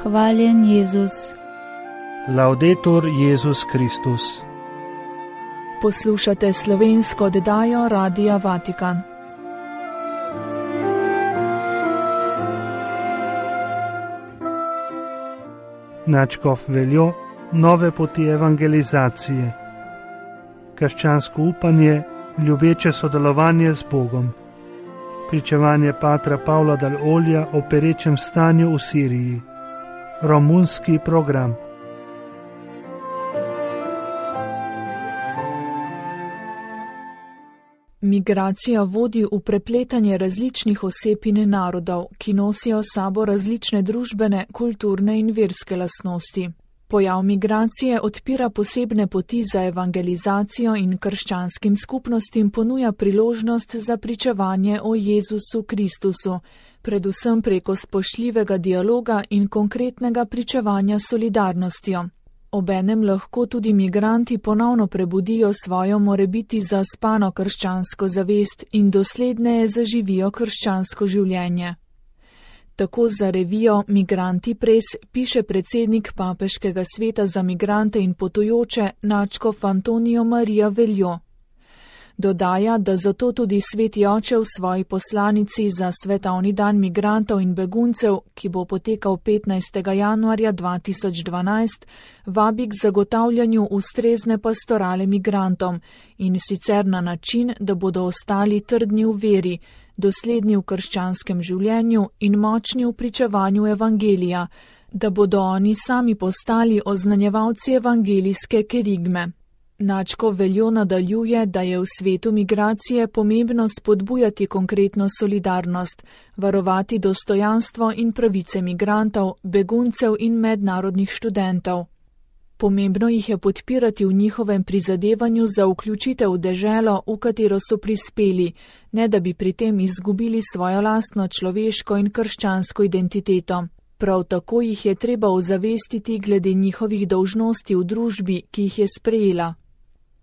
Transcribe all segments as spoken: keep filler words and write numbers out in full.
Hvaljen Jezus. Laudetur Jezus Kristus. Poslušate slovensko oddajo Radia Vatikan. Nadškof Veljo, nove poti evangelizacije. Krščansko upanje, ljubeče sodelovanje z Bogom. Pričevanje patra Pavla Dal Olja o perečem stanju v Siriji. Romunski program. Migracija vodi v prepletanje različnih oseb in narodov, ki nosijo s sabo različne družbene, kulturne in verske lastnosti. Pojav migracije odpira posebne poti za evangelizacijo in krščanskim skupnostim ponuja priložnost za pričevanje o Jezusu Kristusu, predvsem preko spoštljivega dialoga in konkretnega pričevanja s solidarnostjo. Obenem lahko tudi migranti ponovno prebudijo svojo morebiti zaspano krščansko zavest in dosledneje zaživijo krščansko življenje. Tako za revijo Migranti Press piše predsednik Papeškega sveta za migrante in potujoče nadškof Antonijo Marija Veljo. Dodaja, da zato tudi Sveti Oče v svoji poslanici za Svetovni dan migrantov in beguncev, ki bo potekal petnajstega januarja dva tisoč dvanajst, vabi k zagotavljanju ustrezne pastorale migrantom in sicer na način, da bodo ostali trdni v veri, dosledni v krščanskem življenju in močni v pričevanju evangelija, da bodo oni sami postali oznanjevalci evangelijske kerigme. Nadškof Veljo nadaljuje, da je v svetu migracije pomembno spodbujati konkretno solidarnost, varovati dostojanstvo in pravice migrantov, beguncev in mednarodnih študentov. Pomembno jih je podpirati v njihovem prizadevanju za vključitev v deželo, v katero so prispeli, ne da bi pri tem izgubili svojo lastno človeško in krščansko identiteto. Prav tako jih je treba ozavestiti glede njihovih dolžnosti v družbi, ki jih je sprejela.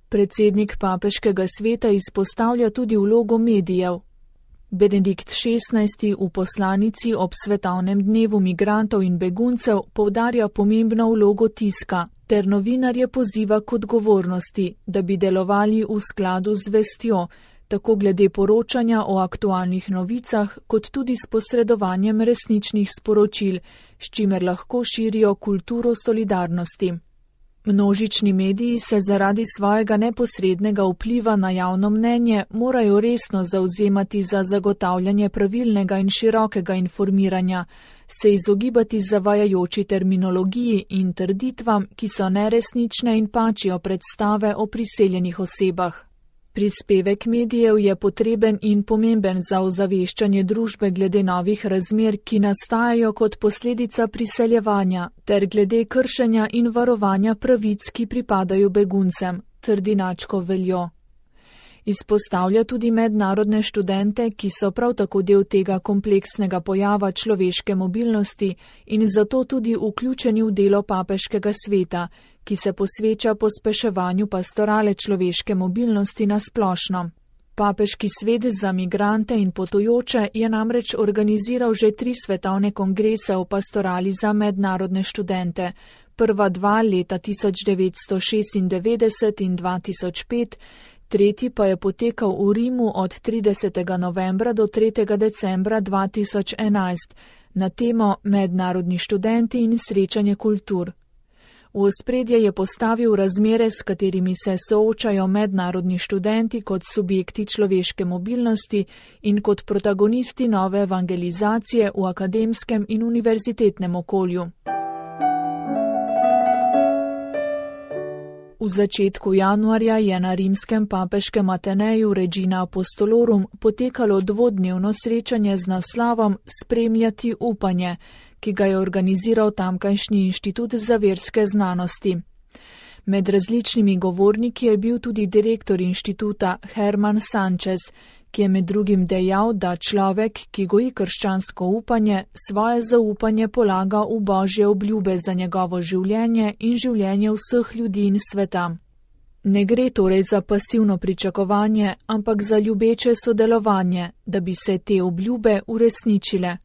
Predsednik Papeškega sveta izpostavlja tudi vlogo medijev. Benedikt šestnajsti v poslanici ob svetovnem dnevu migrantov in beguncev poudarja pomembno vlogo tiska, ter novinarje poziva k odgovornosti, da bi delovali v skladu z vestjo, tako glede poročanja o aktualnih novicah, kot tudi s posredovanjem resničnih sporočil, s čimer lahko širijo kulturo solidarnosti. Množični mediji se zaradi svojega neposrednega vpliva na javno mnenje morajo resno zavzemati za zagotavljanje pravilnega in širokega informiranja, se izogibati zavajajoči terminologiji in trditvam, ki so neresnične in pačijo predstave o priseljenih osebah. Prispevek medijev je potreben in pomemben za ozaveščanje družbe glede novih razmer, ki nastajajo kot posledica priseljevanja, ter glede kršenja in varovanja pravic, ki pripadajo beguncem, trdi nadškof Veljo. Izpostavlja tudi mednarodne študente, ki so prav tako del tega kompleksnega pojava človeške mobilnosti in zato tudi vključeni v delo Papeškega sveta, ki se posveča pospeševanju pastorale človeške mobilnosti na splošno. Papeški svet za migrante in potujoče je namreč organiziral že tri svetovne kongrese o pastorali za mednarodne študente, prva dva leta tisoč devetsto šestindevetdeset in dva tisoč pet, tretji pa je potekal v Rimu od tridesetega novembra do tretjega decembra dva tisoč enajst na temo Mednarodni študenti in srečanje kultur. V ospredje je postavil razmere, s katerimi se soočajo mednarodni študenti kot subjekti človeške mobilnosti in kot protagonisti nove evangelizacije v akademskem in univerzitetnem okolju. V začetku januarja je na rimskem papeškem Ateneju Regina Apostolorum potekalo dvodnevno srečanje z naslovom Spremljati upanje, ki ga je organiziral tamkajšnji inštitut za verske znanosti. Med različnimi govorniki je bil tudi direktor inštituta Herman Sanchez, ki je med drugim dejal, da človek, ki goji krščansko upanje, svoje zaupanje polaga v Božje obljube za njegovo življenje in življenje vseh ljudi in sveta. Ne gre torej za pasivno pričakovanje, ampak za ljubeče sodelovanje, da bi se te obljube uresničile.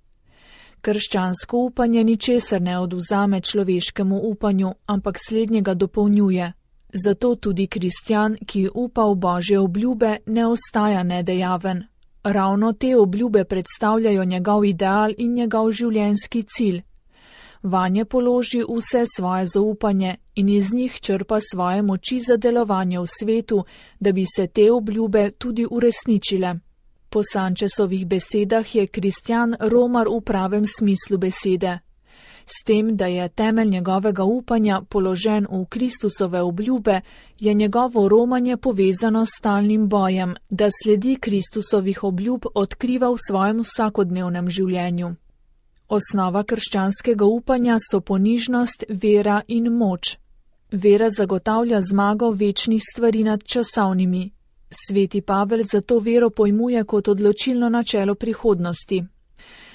Krščansko upanje ničesar ne odvzame človeškemu upanju, ampak slednjega dopolnjuje. Zato tudi kristjan, ki upa v Božje obljube, ne ostaja nedejaven. Ravno te obljube predstavljajo njegov ideal in njegov življenjski cilj. Vanje položi vse svoje zaupanje in iz njih črpa svoje moči za delovanje v svetu, da bi se te obljube tudi uresničile. Po Sančesovih besedah je kristjan romar v pravem smislu besede. S tem, da je temelj njegovega upanja položen v Kristusove obljube, je njegovo romanje povezano s stalnim bojem, da sledi Kristusovih obljub odkriva v svojem vsakodnevnem življenju. Osnova krščanskega upanja so ponižnost, vera in moč. Vera zagotavlja zmago večnih stvari nad časovnimi. Sveti Pavel zato vero pojmuje kot odločilno načelo prihodnosti.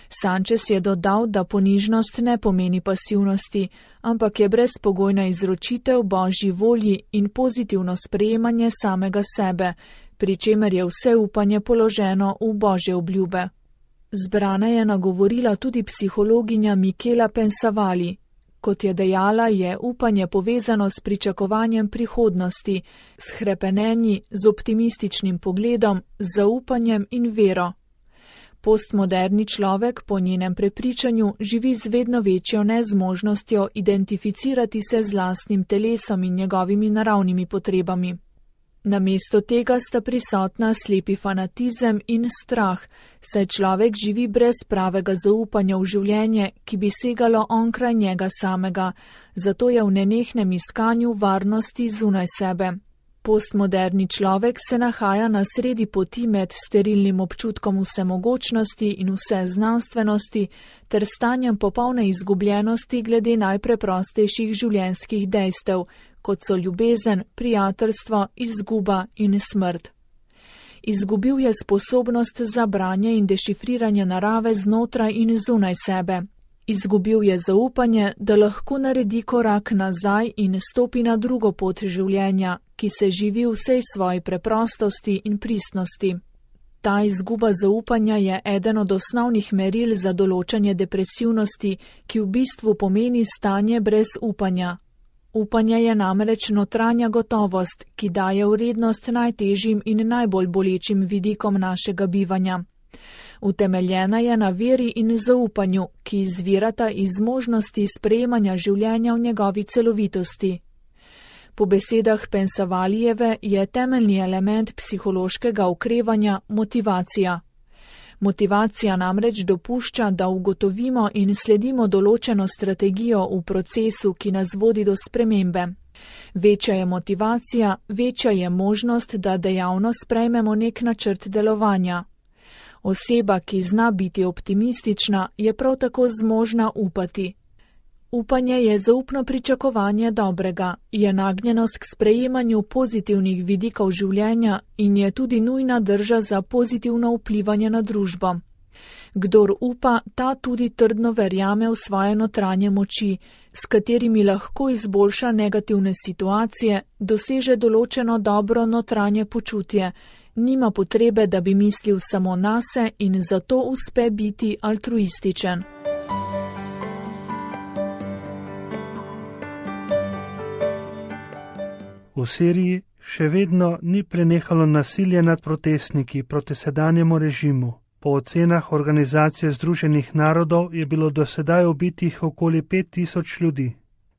Sančes je dodal, da ponižnost ne pomeni pasivnosti, ampak je brezpogojna izročitev Božji volji in pozitivno sprejemanje samega sebe, pri čemer je vse upanje položeno v Božje obljube. Zbrane je nagovorila tudi psihologinja Michela Pensavali. Kot je dejala, je upanje povezano s pričakovanjem prihodnosti, s hrepenenji, z optimističnim pogledom, z zaupanjem in vero. Postmoderni človek po njenem prepričanju živi z vedno večjo nezmožnostjo identificirati se z lastnim telesom in njegovimi naravnimi potrebami. Namesto tega sta prisotna slepi fanatizem in strah, saj človek živi brez pravega zaupanja v življenje, ki bi segalo onkraj njega samega, zato je v nenehnem iskanju varnosti zunaj sebe. Postmoderni človek se nahaja na sredi poti med sterilnim občutkom vsemogočnosti in vseznanstvenosti ter stanjem popolne izgubljenosti glede najpreprostejših življenjskih dejstev, kot so ljubezen, prijateljstvo, izguba in smrt. Izgubil je sposobnost za branje in dešifriranje narave znotraj in zunaj sebe. Izgubil je zaupanje, da lahko naredi korak nazaj in stopi na drugo pot življenja, ki se živi v vsej svoji preprostosti in pristnosti. Ta izguba zaupanja je eden od osnovnih meril za določanje depresivnosti, ki v bistvu pomeni stanje brez upanja. Upanje je namreč notranja gotovost, ki daje vrednost najtežjim in najbolj bolečim vidikom našega bivanja. Utemeljena je na veri in zaupanju, ki izvirata iz možnosti sprejemanja življenja v njegovi celovitosti. Po besedah Pensavalijeve je temeljni element psihološkega okrevanja motivacija. Motivacija namreč dopušča, da ugotovimo in sledimo določeno strategijo v procesu, ki nas vodi do spremembe. Večja je motivacija, večja je možnost, da dejavno sprejmemo nek načrt delovanja. Oseba, ki zna biti optimistična, je prav tako zmožna upati. Upanje je zaupno pričakovanje dobrega, je nagnjenost k sprejemanju pozitivnih vidikov življenja in je tudi nujna drža za pozitivno vplivanje na družbo. Kdor upa, ta tudi trdno verjame v svoje notranje moči, s katerimi lahko izboljša negativne situacije, doseže določeno dobro notranje počutje, nima potrebe, da bi mislil samo nase in zato uspe biti altruističen. V Siriji še vedno ni prenehalo nasilje nad protestniki proti sedanjemu režimu. Po ocenah Organizacije združenih narodov je bilo do sedaj ubitih okoli pet tisoč ljudi.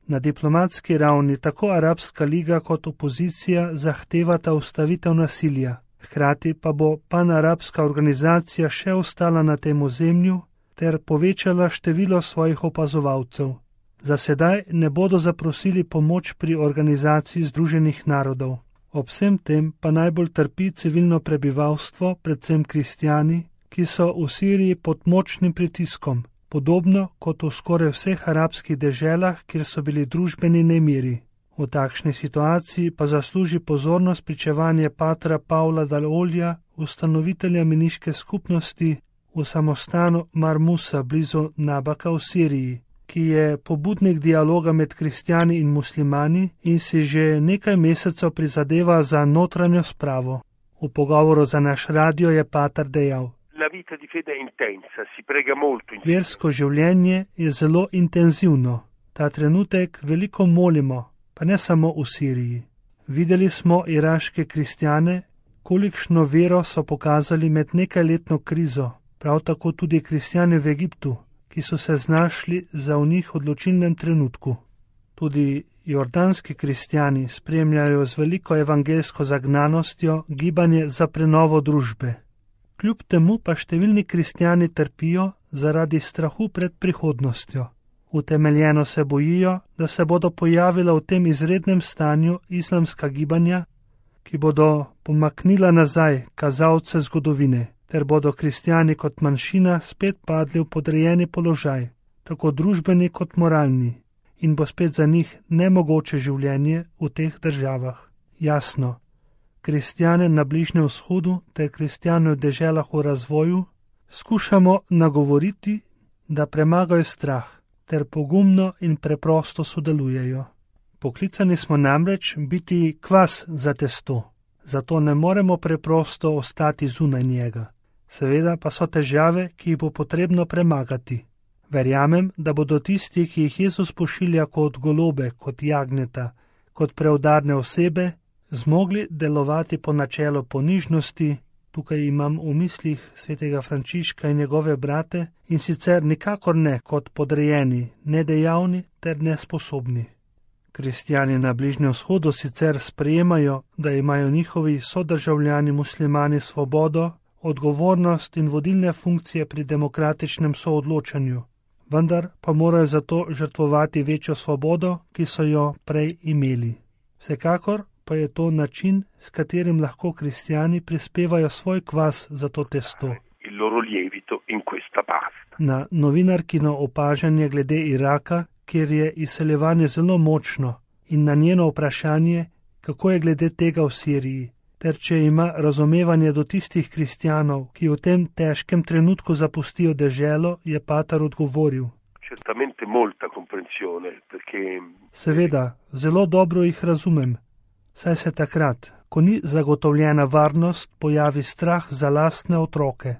Na diplomatski ravni tako Arabska liga kot opozicija zahtevata ustavitev nasilja. Hkrati pa bo panarabska organizacija še ostala na tem ozemlju ter povečala število svojih opazovalcev. Za sedaj ne bodo zaprosili pomoč pri Organizaciji združenih narodov. Ob vsem tem pa najbolj trpi civilno prebivalstvo, predvsem kristjani, ki so v Siriji pod močnim pritiskom, podobno kot v skoraj vseh arabskih deželah, kjer so bili družbeni nemiri. V takšni situaciji pa zasluži pozornost pričevanje patra Pavla Dalolja, ustanovitelja meniške skupnosti v samostanu Marmusa blizu Nabaka v Siriji, ki je pobudnik dialoga med kristjani in muslimani in si že nekaj mesecev prizadeva za notranjo spravo. V pogovoru za naš radio je pater dejal: la vita di fede è intensa, si prega molto insieme. Versko življenje je zelo intenzivno. Ta trenutek veliko molimo, pa ne samo v Siriji. Videli smo iraške kristjane, kolikšno vero so pokazali med nekajletno krizo, prav tako tudi kristjane v Egiptu, ki so se znašli za v njih odločilnem trenutku. Tudi jordanski kristjani spremljajo z veliko evangelsko zagnanostjo gibanje za prenovo družbe. Kljub temu pa številni kristjani trpijo zaradi strahu pred prihodnostjo. Utemeljeno se bojijo, da se bodo pojavila v tem izrednem stanju islamska gibanja, ki bodo pomaknila nazaj kazalce zgodovine, ter bodo kristjani kot manjšina spet padli v podrejeni položaj, tako družbeni kot moralni, in bo spet za njih nemogoče življenje v teh državah. Jasno, kristjane na Bližnjem vzhodu ter kristjane v deželah v razvoju skušamo nagovoriti, da premagajo strah ter pogumno in preprosto sodelujejo. Poklicani smo namreč biti kvas za testo, zato ne moremo preprosto ostati zunaj njega. Seveda pa so težave, ki jih bo potrebno premagati. Verjamem, da bodo tisti, ki jih Jezus pošilja kot golobe, kot jagnjeta, kot preudarne osebe, zmogli delovati po načelu ponižnosti. Tukaj imam v mislih svetega Frančiška in njegove brate, in sicer nikakor ne kot podrejeni, nedejavni ter nesposobni. Kristjani na Bližnjem vzhodu sicer sprejemajo, da imajo njihovi sodržavljani muslimani svobodo, odgovornost in vodilne funkcije pri demokratičnem soodločanju, vendar pa morajo zato žrtvovati večjo svobodo, ki so jo prej imeli. Vsekakor pa je to način, s katerim lahko kristjani prispevajo svoj kvas za to testo. Na novinarkino opažanje glede Iraka, kjer je izseljevanje zelo močno, in na njeno vprašanje, kako je glede tega v Siriji, ter če ima razumevanje do tistih kristjanov, ki v tem težkem trenutku zapustijo deželo, je pater odgovoril. Seveda, zelo dobro jih razumem. Saj se takrat, ko ni zagotovljena varnost, pojavi strah za lastne otroke.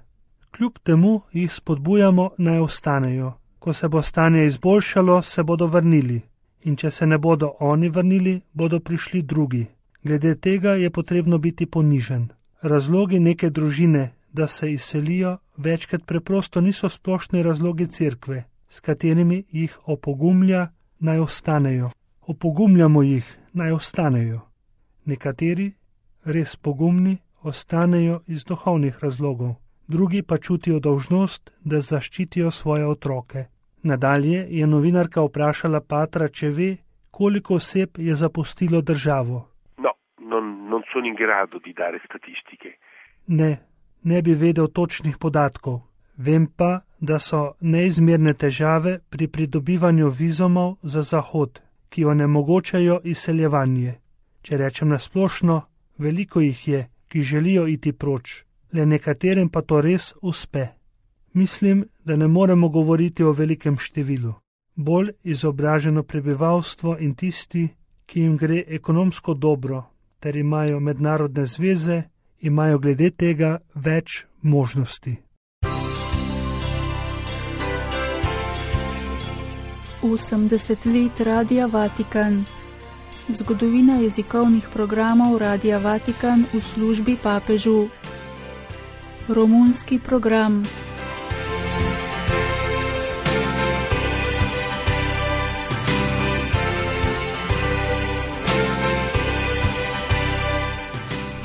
Kljub temu jih spodbujamo, naj ostanejo. Ko se bo stanje izboljšalo, se bodo vrnili. In če se ne bodo oni vrnili, bodo prišli drugi. Glede tega je potrebno biti ponižen. Razlogi neke družine, da se izselijo, večkrat preprosto niso splošni razlogi cerkve, s katerimi jih opogumlja, naj ostanejo. Opogumljamo jih, naj ostanejo. Nekateri, res pogumni, ostanejo iz duhovnih razlogov, drugi pa čutijo dolžnost, da zaščitijo svoje otroke. Nadalje je novinarka vprašala patra, če ve, koliko oseb je zapustilo državo. No, non, non sono in grado di dare statistike. Ne, ne bi vedel točnih podatkov. Vem pa, da so neizmerne težave pri pridobivanju vizumov za Zahod, ki onemogočajo izseljevanje. Če rečem nasplošno, veliko jih je, ki želijo iti proč, le nekaterim pa to res uspe. Mislim, da ne moremo govoriti o velikem številu. Bolj izobraženo prebivalstvo in tisti, ki jim gre ekonomsko dobro, ter imajo mednarodne zveze, imajo glede tega več možnosti. osemdeset let Radia Vatikan. Zgodovina jezikovnih programov Radia Vatikan v službi papežu. Romunski program.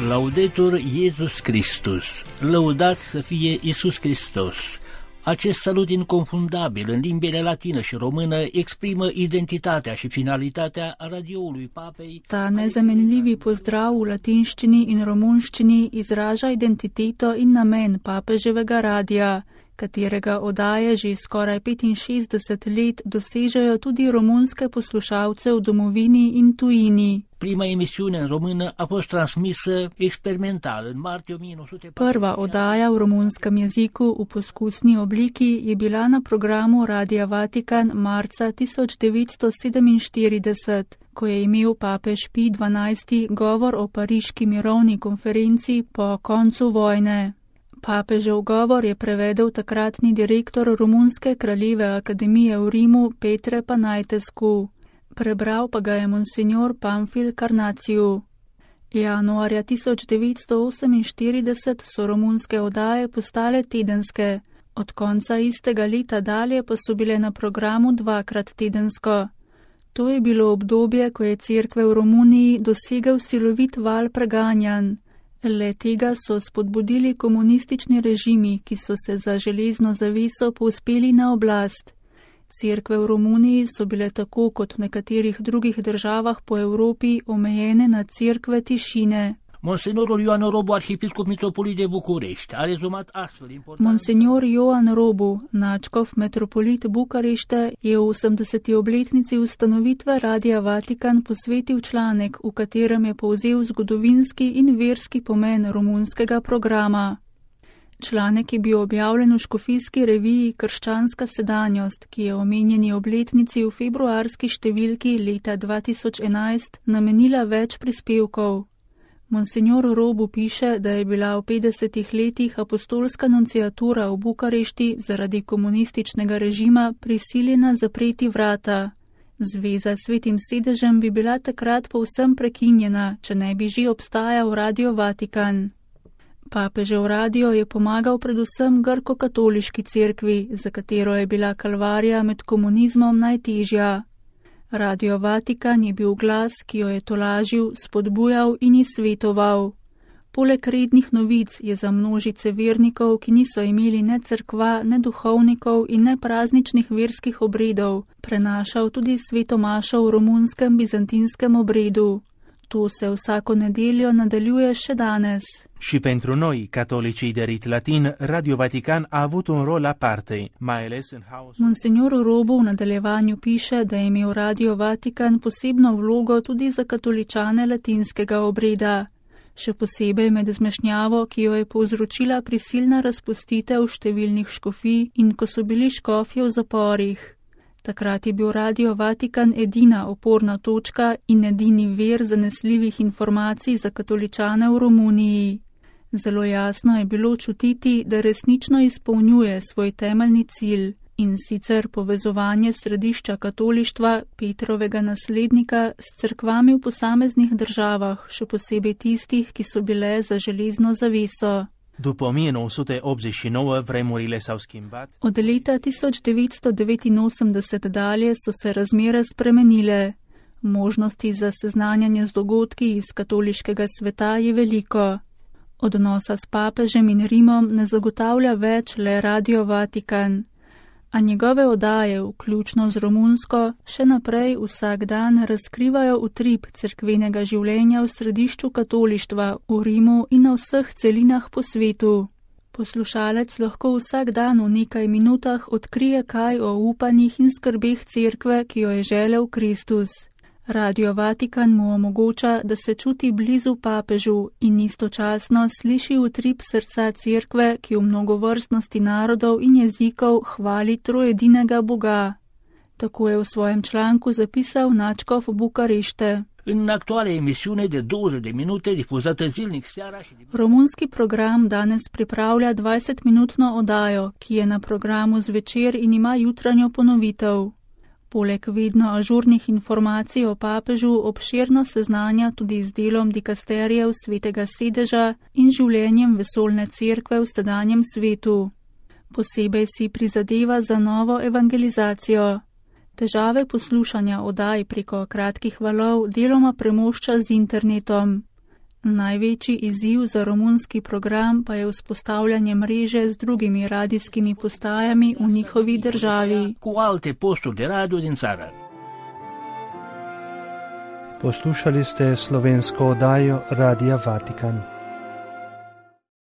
Laudetur Iesus Christus, lăudat să fie Iisus Hristos. Acest salut inconfundabil în limbile latină și română exprimă identitatea și finalitatea radioului papei. Ta nezamenljivi pozdrav v latinščini in romunščini izraža identiteto in namen papeževega radia, katerega oddaje že skoraj petinšestdeset let dosežejo tudi romunske poslušalce v domovini in tujini. Prima emisiune în română a fost transmisă experimental în martie o mie nouă sute patruzeci. Prva oddaja v romunskem jeziku v poskusni obliki je bila na programu Radia Vatikan marca tisoč devetsto sedeminštirideset, ko je imel papež Pij dvanajsti govor o pariški mirovni konferenci po koncu vojne. Papežev govor je prevedel takratni direktor Romunske kraljeve akademije v Rimu Petre Panajtescu. Prebral pa ga je monsignor Pamfil Karnaciju. Januarja tisoč devetsto oseminštirideset so romunske oddaje postale tedenske, od konca istega leta dalje pa so bile na programu dvakrat tedensko. To je bilo obdobje, ko je cerkve v Romuniji dosegel silovit val preganjanj. Le tega so spodbudili komunistični režimi, ki so se za železno zaveso povzpeli na oblast. Cerkve v Romuniji so bile tako kot v nekaterih drugih državah po Evropi omejene na cerkve tišine. Monsignorul Ioan Robu, arhiepiscop mitropolit de București, a rezumat astfel important... Monsignor Ioan Robu, načkov metropolit Bukarešte, je v osemdeseti obletnici ustanovitve Radia Vatikan posvetil članek, v katerem je povzel zgodovinski in verski pomen romunskega programa. Članek je bil objavljen v škofijski reviji Krščanska sedanjost, ki je omenjeni obletnici v februarski številki leta dva tisoč enajst namenila več prispevkov. Monsignor Robu piše, da je bila v petdesetih letih apostolska nunciatura v Bukarešti zaradi komunističnega režima prisiljena zapreti vrata. Zveza s Svetim sedežem bi bila takrat povsem prekinjena, če ne bi že obstajal Radio Vatikan. Papežev radio je pomagal predvsem grko-katoliški cerkvi, za katero je bila kalvarija med komunizmom najtežja. Radio Vatikan je bil glas, ki jo je tolažil, spodbujal in izsvetoval. Poleg rednih novic je za množice vernikov, ki niso imeli ne cerkva, ne duhovnikov in ne prazničnih verskih obredov, prenašal tudi svetomašo v romunskem bizantinskem obredu. To se vsako nedeljo nadaljuje še danes. Și pentru noi, catolicii de rit latin, Radio Vatican a avut un rol aparte, mai ales în haosul... Monsignor Robu v nadaljevanju piše, da je imel Radio Vatikan posebno vlogo tudi za katoličane latinskega obreda. Še posebej med zmešnjavo, ki jo je povzročila prisilna razpustitev številnih škofij in ko so bili škofje v zaporih. Takrat je bil Radio Vatikan edina oporna točka in edini vir zanesljivih informacij za katoličane v Romuniji. Zelo jasno je bilo čutiti, da resnično izpolnjuje svoj temeljni cilj, in sicer povezovanje središča katolištva, Petrovega naslednika, s cerkvami v posameznih državah, še posebej tistih, ki so bile za železno zaveso. După o mie nouă sute optzeci și nouă, vremurile s-au schimbat. Od leta tisoč devetsto devetinosemdeset dalje so se razmere spremenile. Možnosti za seznanjanje z dogodki iz katoliškega sveta je veliko. Odnosa s papežem in Rimom ne zagotavlja več le Radio Vatikan, a njegove oddaje, vključno z romunsko, še naprej vsak dan razkrivajo utrip cerkvenega življenja v središču katolištva, v Rimu in na vseh celinah po svetu. Poslušalec lahko vsak dan v nekaj minutah odkrije kaj o upanjih in skrbeh cerkve, ki jo je želel Kristus. Radio Vatikan mu omogoča, da se čuti blizu papežu in istočasno sliši utrip srca cerkve, ki v mnogovrstnosti narodov in jezikov hvali trojedinega Boga. Tako je v svojem članku zapisal načkov Bukarešte. În actuala emisiune de douăzeci de minute difuzată zilnic seara și... Romunski program danes pripravlja dvajsetminutno oddajo, ki je na programu zvečer in ima jutranjo ponovitev. Poleg vedno ažurnih informacij o papežu obširno seznanja tudi z delom dikasterijev Svetega sedeža in življenjem vesoljne cerkve v sedanjem svetu. Posebej si prizadeva za novo evangelizacijo. Težave poslušanja oddaj preko kratkih valov deloma premošča z internetom. Največji izziv za romunski program pa je vzpostavljanje mreže z drugimi radijskimi postajami v njihovi državi. Cu alte posturi de radio din țară. Poslušali ste slovensko oddajo Radia Vatikan.